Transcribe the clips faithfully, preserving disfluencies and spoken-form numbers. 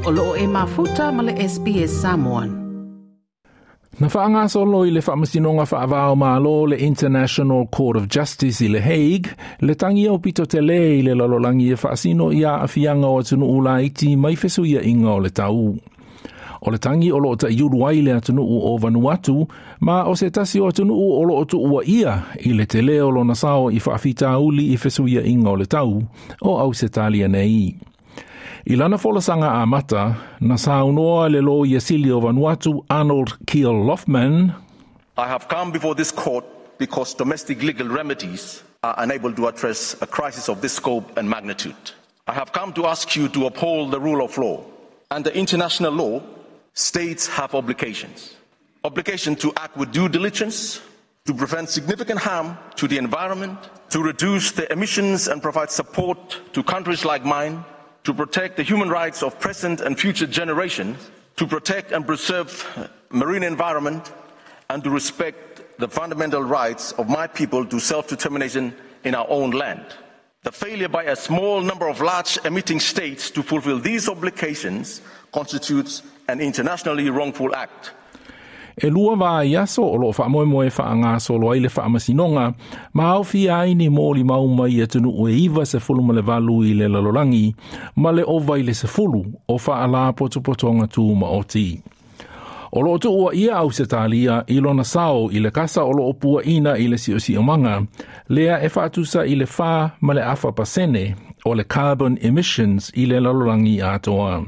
O loo e mafuta ma le S B S Samoan. Na whaangasolo i le whaamasinoga whaavao malo le International Court of Justice i le Hague, le tangi o pito te le i le lalolangi e whaasino i a afianga o atunuu laiti mai fesuia inga o le tau. O le tangi o loo ta iuru ai le atunuu o Vanuatu, ma o se tasi o atunuu o loo tuua ia i le te leo lona sao i whaafitauli i fesuia inga o le tau o Ausetalia nei. I lana folasanga a mata, na saunoa le lo ia sili o Vanuatu Arnold Kiel Loughman. I have come before this court because domestic legal remedies are unable to address a crisis of this scope and magnitude. I have come to ask you to uphold the rule of law. Under international law, states have obligations. Obligation to act with due diligence, to prevent significant harm to the environment, to reduce the emissions and provide support to countries like mine, to protect the human rights of present and future generations, to protect and preserve marine environment, and to respect the fundamental rights of my people to self-determination in our own land. The failure by a small number of large emitting states to fulfill these obligations constitutes an internationally wrongful act. E lua vā i aso o loo whaamoemoe whaangasolo ai le whaamasinoga, ma au fia ai ni mōli mauma i atunuu e iwa se fulu ma le valu i le lalolangi, ma le ova i le se fulu o whaalā potopotonga tū ma oti. O loo tuua ia au se tālia i lona sao i le kasa o loo pua ina i le siosiomaga, lea e whaatusa i le whā ma le afa pasene o le carbon emissions i le lalolangi atoa.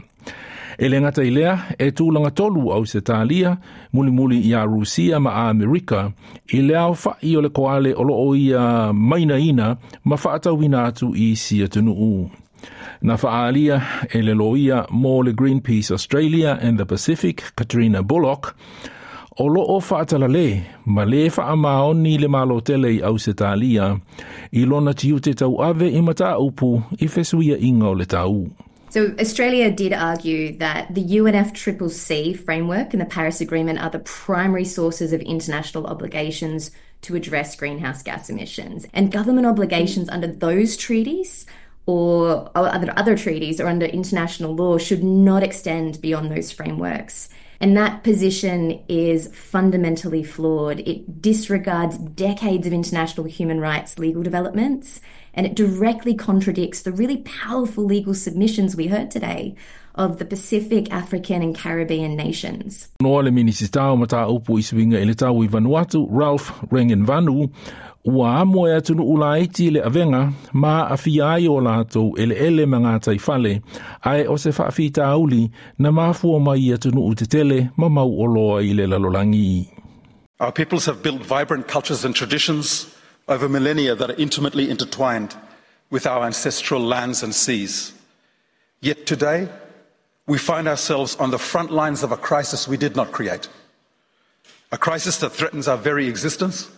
E le ngata i lea, e tūlanga tolu au se tālia, mulimuli i a Rusia ma a Amerika, i le au whai o le koale o loo ia maina ina ma whaatauina atu i si atunuu. Na whaalia e le loia mō le Greenpeace Australia and the Pacific, Katrina Bullock, o loo whaatalale ma le whaamaoni le malotele i au se tālia, i lona tiute tau ave i mata upu i fesuia inga o le tau. So Australia did argue that the U N F C C C framework and the Paris Agreement are the primary sources of international obligations to address greenhouse gas emissions. And government obligations under those treaties or other, other treaties or under international law should not extend beyond those frameworks. And that position is fundamentally flawed. It disregards decades of international human rights legal developments, and it directly contradicts the really powerful legal submissions we heard today of the Pacific, African and Caribbean nations. Noa le minisita o mata upu isuinga i le tau i Vanuatu, Ralph Regenvanu, ua amo e atunu ulaiti le avenga, ma awhia ai o lātou ele ele ma ngā taifale, ae o se whaafita auli na mafua mai atunu utetele ma mau o loa i le lalolangi. Our peoples have built vibrant cultures and traditions over millennia that are intimately intertwined with our ancestral lands and seas. Yet today, we find ourselves on the front lines of a crisis we did not create, a crisis that threatens our very existence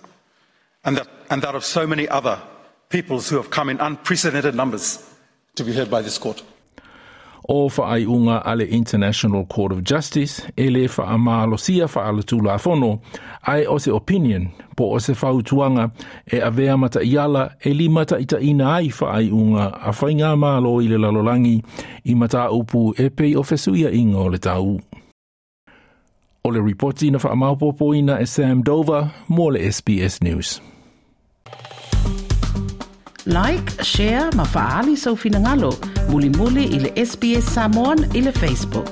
and that, and that of so many other peoples who have come in unprecedented numbers to be heard by this court. O whaaiunga a le International Court of Justice e le whaamalosia whaalatulafono ai o se opinion po o se whautuanga e avea mata iala e lima ta ina ai whaaiunga a whainga malo i le lalolangi i mata upu e pei o fesuia inga o le tau. O le ripoti na whaamaupopoina e Sam Dover mō le S B S News. Like, share, ma faali sau finangalo, muli muli i le S B S Samoan i le Facebook.